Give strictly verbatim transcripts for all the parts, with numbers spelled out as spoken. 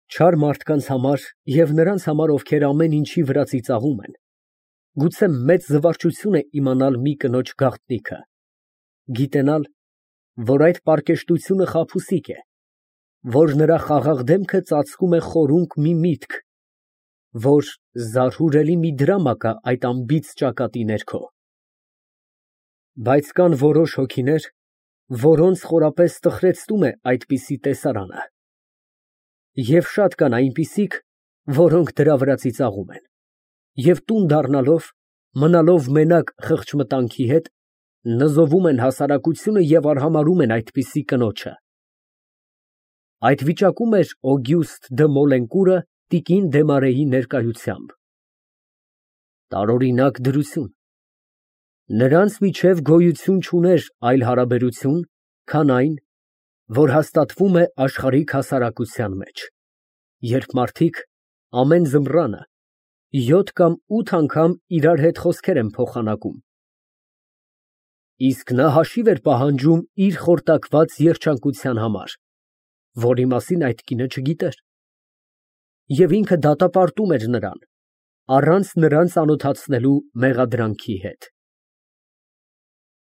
Չար մարդկանց համար և նրանց համար, ովքեր ամեն ինչի վրա ծիծաղում են, գուցե մեծ զվարճություն է իմանալ մի կնոջ գաղտնիքը, գիտենալ, որ այդ պարկեշտությունը խաբուսիկ է, որ նրա խաղաղ դեմքը ծածկում է խորունկ մի միտք, որ զարհուրելի մի դրամա կա այդ անբիծ ճակատի ներքո։ Բայց կան որոշ հոգիներ, որոնց խորապես տխրեցնում է այդպիսի տեսարանը, և շատ կան այնպիսիք, որոնք դրա վրա ծիծաղում են, և տուն դառնալով, մնալով մենակ խղճմտանքի հետ, նզովում են հասարակությունը և արհամարհում են այդպիսի կնոջը։ Այդ վիճակում էր Օգյուստ դը Մոլենկուրը տիկին Դեմարեի ներկայությամբ։ Տարօրինակ դրություն։ Նրանց միջև գոյություն չուներ այլ հարաբերություն, քան այն, որ հաստատվում է աշխարհիկ հասարակության մեջ, երբ մարդիկ ամեն ձմռանը յոթ կամ ութ անգամ իրար հետ խոսքեր են փոխանակում, իսկ նա հաշիվ էր պահանջում իր խորտակված երջանկության համար, որի մասին այդ կինը չգիտեր, և ինքը դատապարտում էր նրան, առանց նրան ծանոթացնելու մեղադրանքի հետ։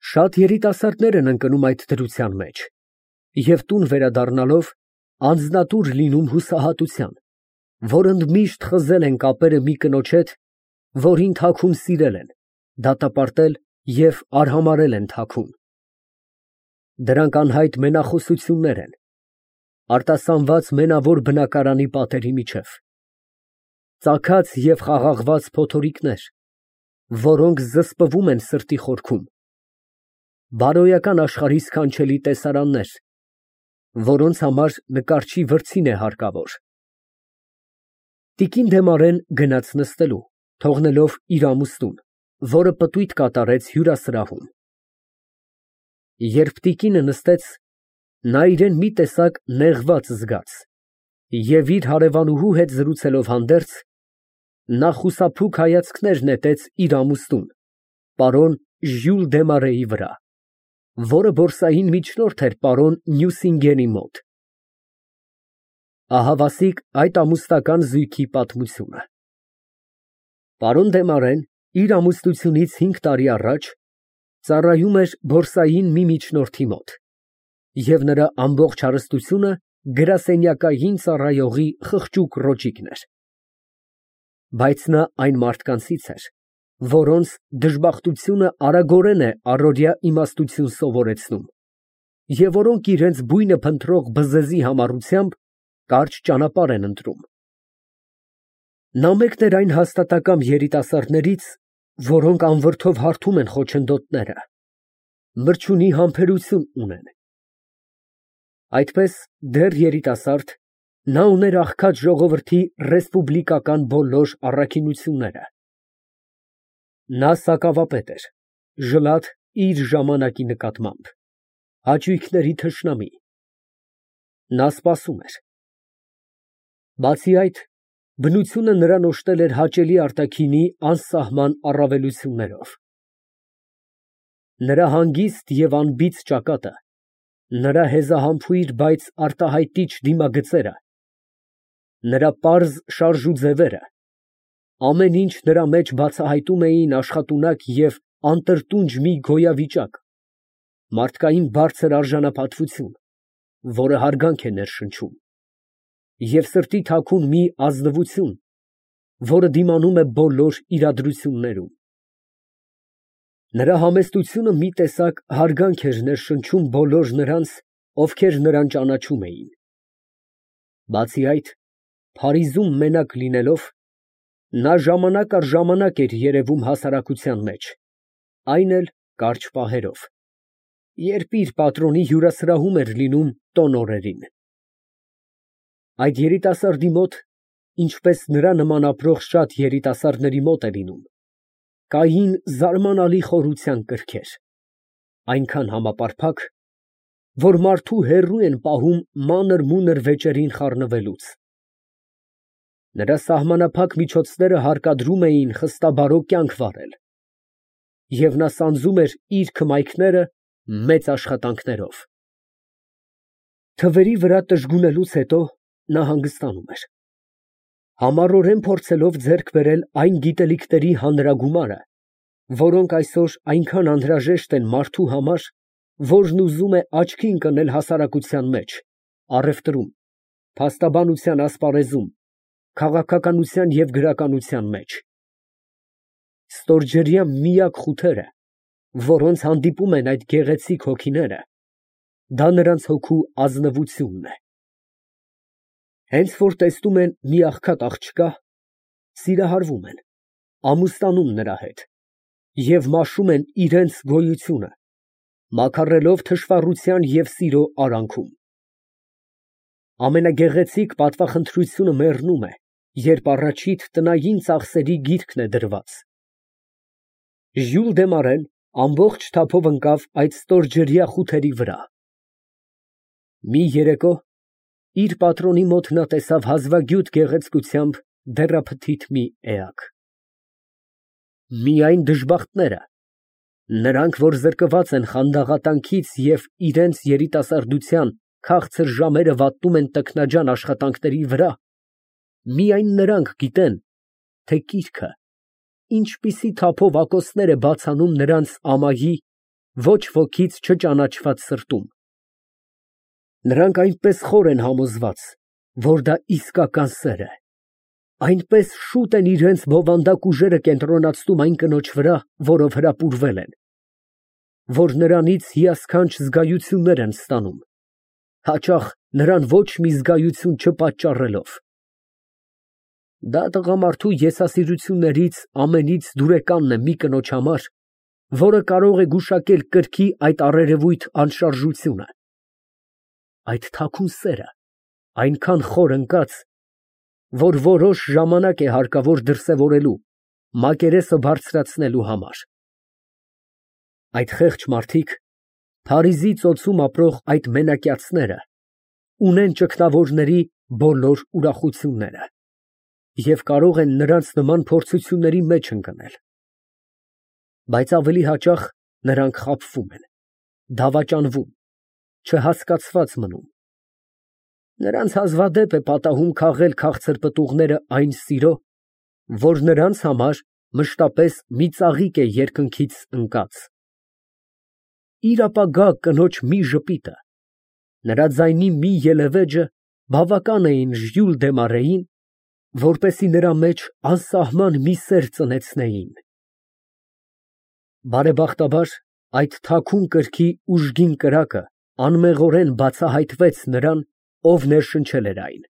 Շատ երիտասարդներ են ընկնում այդ դրության մեջ և տուն վերադառնալով անձնատուր լինում հուսահատության, որ ընդմիշտ խզել են կապերը մի կնոջ հետ, որին թաքուն սիրել են, դատապարտել և արհամարհել են թաքուն։ Դրանք անհայտ մենախոսություններ են, արտասանված մենավոր բնակարանի պատերի միջև, ծագած և խաղաղված փոթորիկներ, որոնք զսպվում են սրտի խորքում, բարոյական աշխարհի սքանչելի տեսարաններ, որոնց համար նկարչի վրձին է հարկավոր։ Տիկին Դեմարեն գնաց նստելու, թողնելով իր ամուսնուն, որը պտույտ կատարեց հյուրասրահում։ Երբ տիկինը նստեց, նա իրան մի տեսակ նեղված զգաց և իր հարևանուհու հետ զրուցելով հանդերձ, նա խուսափուկ հայացքներ նետեց իր ամուսնուն, պարոն Ժյուլ Դեմարեի վրա, որը բորսային միջնորդ էր պարոն Նյուսինգենի մոտ։ Ահավասիկ այդ ամուսնական զույգի պատմությունը։ Պարոն Դեմարեն իր ամուսնությունից հինգ տարի առաջ ծառայում էր բորսային մի միջնորդի մոտ, և նրա ամբողջ հարստությունը գրասենյակային ծառայողի խղճուկ ռոճիկն էր։ Բայց նա այն մարդկանցից էր, որոնց դժբախտությունը արագորեն է առօրյա իմաստություն սովորեցնում, և որոնք իրենց բույնը փնտրող բզեզի համառությամբ կարճ ճանապարհ են ընտրում։ Նա մեկն էր այն հաստատակամ երիտասարդներից, որոնք անվրդով հարբում են խոչընդոտները, մրջյունի համբերություն ունեն։ Այդպես, դեռ երիտասարդ, նա ուներ աղքատ ժողովրդի ռեսպուբլիկական բոլոր առաքինությունները։ Նա սակավապետ էր, ժլատ իր ժամանակի նկատմամբ, հաճույքների թշնամի։ Նա սպասում էր։ Բացի այդ, բնությունը նրան օժտել էր հաճելի արտաքինի անսահման առավելություններով։ Նրա հանգիստ և անբիծ ճակատը, նրա հեզահամբույր, բայց արտահայտիչ դիմագծերը, նրա պարզ շարժուձևերը, ամեն ինչ նրա մեջ բացահայտում էին աշխատունակ և անտրտունջ մի գոյավիճակ, մարդկային բարձր արժանապատվություն, որը հարգանք է ներշնչում, և սրտի թաքուն մի ազնվություն, որը դիմանում է բոլոր իրադրություններում։ Նրա համեստությունը մի տեսակ հարգանք էր ներշնչում բոլոր նրանց, ովքեր նրան ճանաչում էին։ Բացի այդ, Փարիզում մենակ լինելով, նա ժամանակ առ ժամանակ էր երևում հասարակության մեջ, այն էլ կարճ պահերով, երբ իր պատրոնի հյուրասրահում էր լինում տոն օրերին։ Այդ երիտասարդի մոտ, ինչպես նրա նման ապրող շատ երիտասարդների մոտ է լինում, կային զարմանալի խորության կրքեր, այնքան համապարփակ, որ մարդու հեռու են պահում մանր֊մունր վեճերին խառնվելուց։ Նրա սահմանափակ միջոցները հարկադրում էին խստաբարո կյանք վարել, և նա սանձում էր իր քմայքները մեծ աշխատանքներով։ Թվերի վրա տժգունելուց հետո նա հանգստանում էր։ Համառորեն փորձելով ձեռք բերել այն գիտելիքների հանրագումարը, որոնք այսօր այնքան անհրաժեշտ են մարդու համար, որն ուզում է աչքի ընկնել հասարակության մեջ, առևտրում, փաստաբանության ասպարեզում, քաղաքականության և գրականության մեջ, ստորջրյա միակ խութերը, որոնց հանդիպում են այդ գեղեցիկ հոգիները, դա նրանց հոգու ազնվությունն է։ Հենց որ տեսնում են մի աղքատ աղջկա, սիրահարվում են, ամուսնանում նրա հետ և մաշում են իրանց գոյությունը, մաքարելով թշվառության և սիրո արանքում։ Ամենագեղեցիկ պատվախնդրությունը մեռնում է, երբ առաջիդ տնային ծախսերի գիրկն է դրված։ Ժյուլ դե Մարեն ամբողջ թափով ընկավ այդ ստորջրյա խութերի վրա։ Մի երեկո իր պատրոնի մոտ նա տեսավ հազվագյուտ գեղեցկությամբ դեռափթիթ մի էակ։ Միայն դժբախտները, նրանք, որ զրկված են խանդաղատանքից և իրանց երիտասարդության քաղցր ժամերը վատնում են տքնաջան աշխատանքների վրա, միայն նրանք գիտեն, թե կիրքը ինչպիսի թափով ակոսներ է բաց անում նրանց ամայի, ոչ ոքից չճանաչված սրտում։ Նրանք այնպես խոր են համոզված, որ դա իսկական սեր է, այնպես շուտ են իրենց բովանդակ ուժերը կենտրոնացնում այն կնոջ վրա, որով հրապուրվել են, որ նրանից հիասքանչ զգայություններ են ստանում, հաճախ նրան ոչ մի զգայություն չպատճառելով։ Դա տղամարդու եսասիրություններից ամենից դուրեկանն է մի կնոջ համար, որը կարող է գուշակել կրքի այդ առերևույթ անշարժությունը։ Այդ թաքուն սերը այնքան խոր ընկած, որ որոշ ժամանակ է հարկավոր դրսևորելու, մակերեսը բարձրացնելու համար։ Այդ խեղճ մարդիկ, Փարիզի ծոցում ապրող այդ մենակյացները, ունեն ճգնավորների բոլոր ուրախությունները և կարող են նրանց նման փորձությունների մեջ ընկնել։ Բայց ավելի հաճախ նրանք խաբվում են, դավաճանվում, չհասկացված մնում։ Նրանց հազվադեպ է պատահում քաղել քաղցր պտուղները այն սիրո, որ նրանց համար մշտապես մի ծաղիկ է երկնքից ընկած։ Իր ապագա կնոջ մի ժպիտը, նրա ձայնի մի ելևէջը բավական էին Ժյուլ դե Մարեին, որպեսզի նրա մեջ անսահման մի սեր ծնեցնեին։ Բարեբախտաբար, այդ թաքուն կրքի ուժգին կրակը անմեղորեն բացահայտվեց նրան, ով ներշնչել էր այն,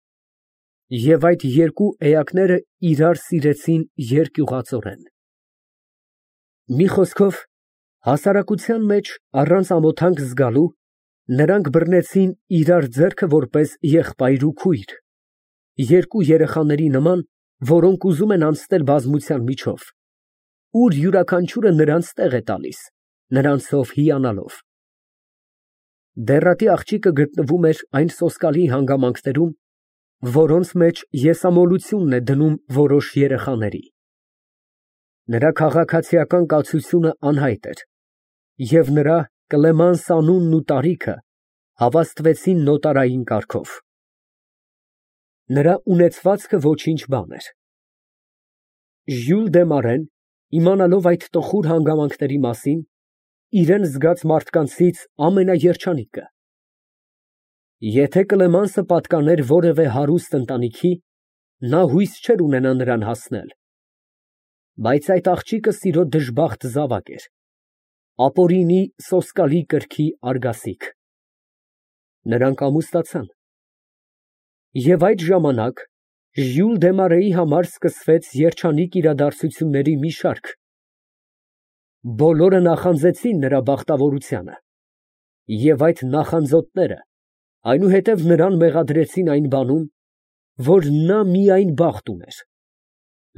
և այդ երկու էակները իրար սիրեցին երկյուղածորեն։ Մի խոսքով, հասարակության մեջ, առանց ամոթանք զգալու, նրանք բռնեցին իրար ձեռքը որպես եղբայր ու քույր, երկու երեխաների նման, որոնք ուզում են անցնել բազմության միջով, ուր յուրաքանչյուրը նրանց տեղ է տալիս, նրանցով հիանալով։ Դեռատի աղջիկը գտնվում էր այն սոսկալի հանգամանքներում, որոնց մեջ եսամոլությունն է դնում որոշ երեխաների։ Նրա քաղաքացիական կացությունը անհայտ էր, և նրա Կլեմանս անունն ու տարիքը հավաստվեցին նոտարային կարգով։ Նրա ունեցվածքը ոչինչ բան էր։ Ժյուլ դե Մարեն, իմանալով այդ տխուր հանգամանքների մասին, իրան զգաց մարդկանցից ամենաերջանիկը։ Եթե Կլեմանսը պատկաներ որևէ հարուստ ընտանիքի, նա հույս չէր ունենա նրան հասնել, բայց այդ աղջիկը սիրո դժբախտ զավակ էր, ապօրինի սոսկալի կրքի արգասիկ։ Նրանք ամուսնացան։ Եվ այդ ժամանակ Ժյուլ դե Մարեի համար սկսվեց երջանիկ իրադարձությունների մի շարք։ Բոլորը նախանձեցին նրա բախտավորությանը, և այդ նախանձոտները այնուհետև նրան մեղադրեցին այն բանում, որ նա միայն բախտ ուներ,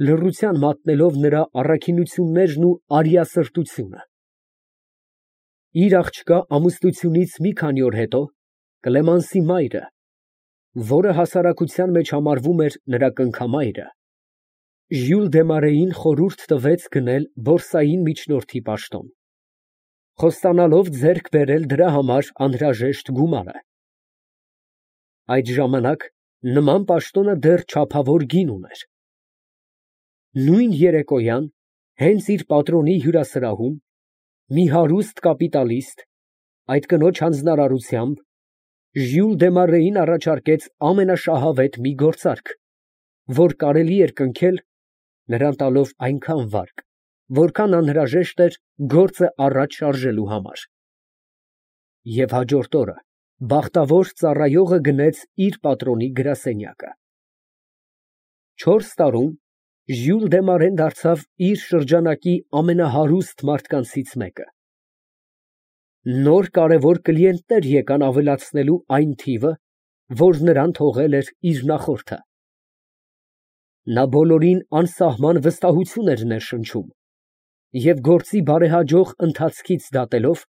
լռության մատնելով նրա առաքինություններն ու արիասրտությունը։ Իր աղջկա ամուսնությունից մի քանի օր հետո Կլեմանսի մայրը, որը հասարակության մեջ համարվում էր նրա կնքամայրը, Ժյուլ դե Մարեին խորհուրդ տվեց գնել բորսային միջնորդի պաշտոն, խոստանալով ձեռք բերել դրա համար անհրաժեշտ գումարը։ Այդ ժամանակ նման պաշտոնը դեռ չափավոր կին ուներ։ Նույն երեկոյան, հենց իր պատրոնի հյուրասրահում, մի հարուստ կապիտալիստ, այդ կնոջ հանձնարարությամբ, Ժյուլ Դեմարեին առաջարկեց ամենաշահավետ մի գործարք, որ կարելի էր կնքել, նրան տալով այնքան վարկ, որքան անհրաժեշտ էր գործը առաջ շարժելու համար։ Եվ հաջորդ օրը բախտավոր ծառայողը գնեց իր պատրոնի գրասենյակը։ Չորս տարում Ժյուլ Դեմարեն դարձավ իր շրջանակի ամենահարուստ մարդկանցից մեկը։ Նոր կարևոր կլիենտներ եկան ավելացնելու այն թիվը, որ նրան թողել էր իր նախորդը։ Նա բոլորին անսահման վստահություն էր ներշնչում, և գործի բարեհաջող ընթացքից դատելով,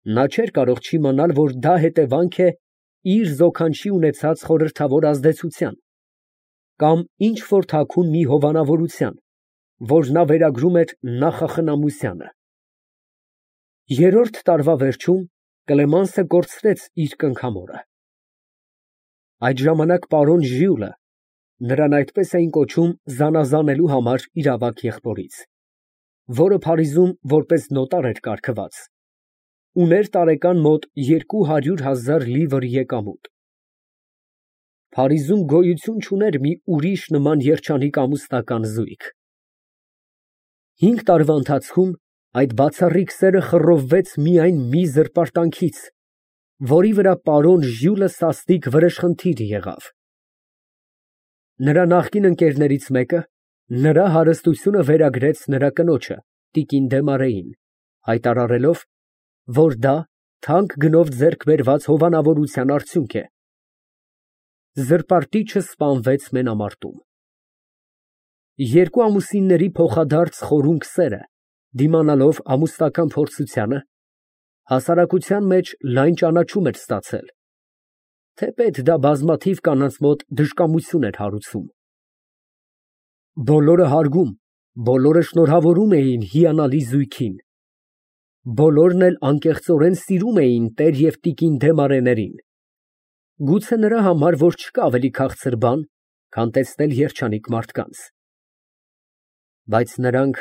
նա չէր կարող չիմանալ, որ դա հետևանք է իր զոքանչի ունեցած խորհրդավոր ազդեցության, կամ ինչ֊որ թաքուն մի հովանավորության, որ նա վերագրում էր նախախնամությանը։ Երրորդ տարվա վերջում Կլեմանսը կորցրեց իր կնքամորը։ Այդ ժամանակ պարոն Ժյուլը (նրան այդպես էին կոչում զանազանելու համար իր ավագ եղբորից), որը Փարիզում որպես նոտար էր կարգված, ուներ տարեկան մոտ երկու հարյուր հազար լիվր եկամուտ։ Փարիզում գոյություն չուներ մի ուրիշ նման երջանիկ ամուսնական զույգ։ Հինգ տարվա ընթացքում այդ բացառիկ սերը խռովվեց միայն մի զրպարտանքից, որի վրա պարոն Ժյուլը սաստիկ վրեժխնդիր եղավ։ Նրա նախկին ընկերներից մեկը նրա հարստությունը վերագրեց նրա կնոջը, տիկին Դեմարեին, հայտարարելով, որ դա թանկ գնով ձեռք բերված հովանավորության արդյունք է։ Զրպարտիչը սպանվեց մենամարտում։ Երկու ամուսինների փոխադարձ խորունկ սերը, դիմանալով ամուսնական փորձությանը, հասարակության մեջ լայն ճանաչում էր ստացել, թեպետ դա բազմաթիվ կանանց մոտ դժկամություն էր հարուցում։ Բոլորը հարգում, բոլորը շնորհավորում էին հիանալի զույգին, բոլորն էլ անկեղծորեն սիրում էին տեր և տիկին Դեմարեներին, գուցե նրա համար, որ չկա ավելի քաղցր բան, քան տեսնել երջանիկ մարդկանց։ Բայց նրանք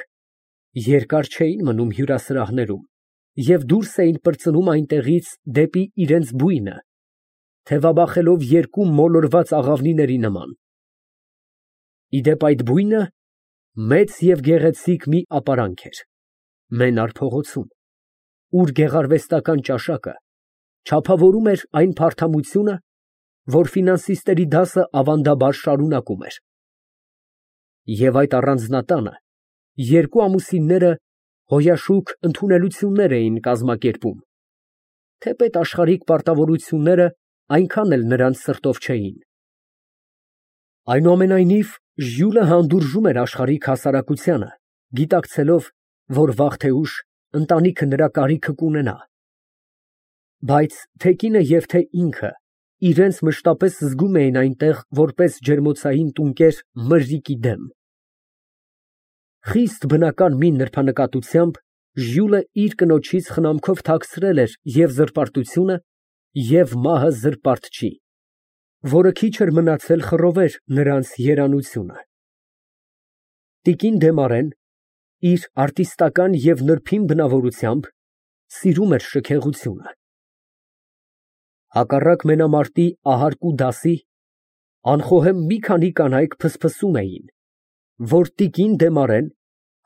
երկար չէին մնում հյուրասրահներում և դուրս էին պրծնում այնտեղից դեպի իրենց բույնը, թևաբախելով երկու մոլորված աղավնիների նման։ Ի դեպ, այդ բույնը մեծ և գեղեցիկ մի ապարանք էր, մենար փողոցում, ուր գեղարվեստական ճաշակը չափավորում էր այն փարթամությունը, որ ֆինանսիստների դասը ավանդաբար շարունակում էր։ Եվ այդ առանձնատանը երկու ամուսինները հոյաշուք ընդունելություններ էին կազմակերպում, թեպետ աշխարհիկ պարտավորությունները այնքան էլ նրանց սրտով չէին։ Այնուամենայնիվ, Ժյուլը հանդուրժում էր աշխարհիկ հասարակությանը, գիտակցելով, որ վաղ թե ուշ ընտանիքը նրա կարիքը կունենա։ Բայց թե կինը և թե ինքը իրենց մշտապես զգում էին այնտեղ որպես ջերմոցային տունկեր մրրիկի դեմ։ Խիստ բնական մի նրբանկատությամբ Ժյուլը իր կնոջից խնամքով թաքցրել էր և զրպարտությունը, և մահը զրպարտչի, որը քիչ էր մնացել խռովեր նրանց երանությունը։ Տիկին Դեմարեն իր արտիստական և նրբին բնավորությամբ սիրում էր շքեղությունը։ Հակառակ մենամարտի ահարկու դասի, անխոհեմ մի քանի կանայք փսփսում էին, որ տիկին Դեմարեն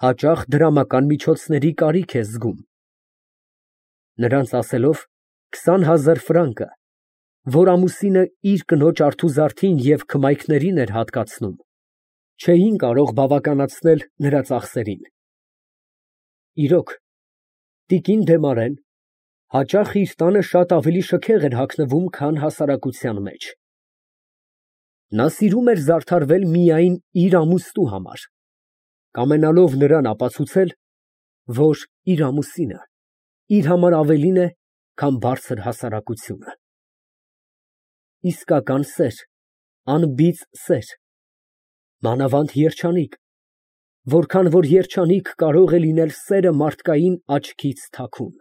հաճախ դրամական միջոցների կարիք է զգում։ Նրանց ասելով, քսան հազար ֆրանկը, որ ամուսինը իր կնոջ արթուզարդին և քմայքներին էր հատկացնում, չէին կարող բավականացնել նրա ծախսերին։ Իրոք, տիկին Դեմարեն հաճախ իր տանը շատ ավելի շքեղ էր հագնվում, քան հասարակության մեջ։ Նա սիրում էր զարդարվել միայն իր ամուստու համար, կամենալով նրան ապացուցել, որ իր ամուսինը իր համար ավելին է, քան բարձր հասարակությունը։ Իսկական սեր, անբիծ սեր, մանավանդ երջանիկ, որքան որ երջանիկ կարող է լինել սերը մարդկային աչքից թաքուն։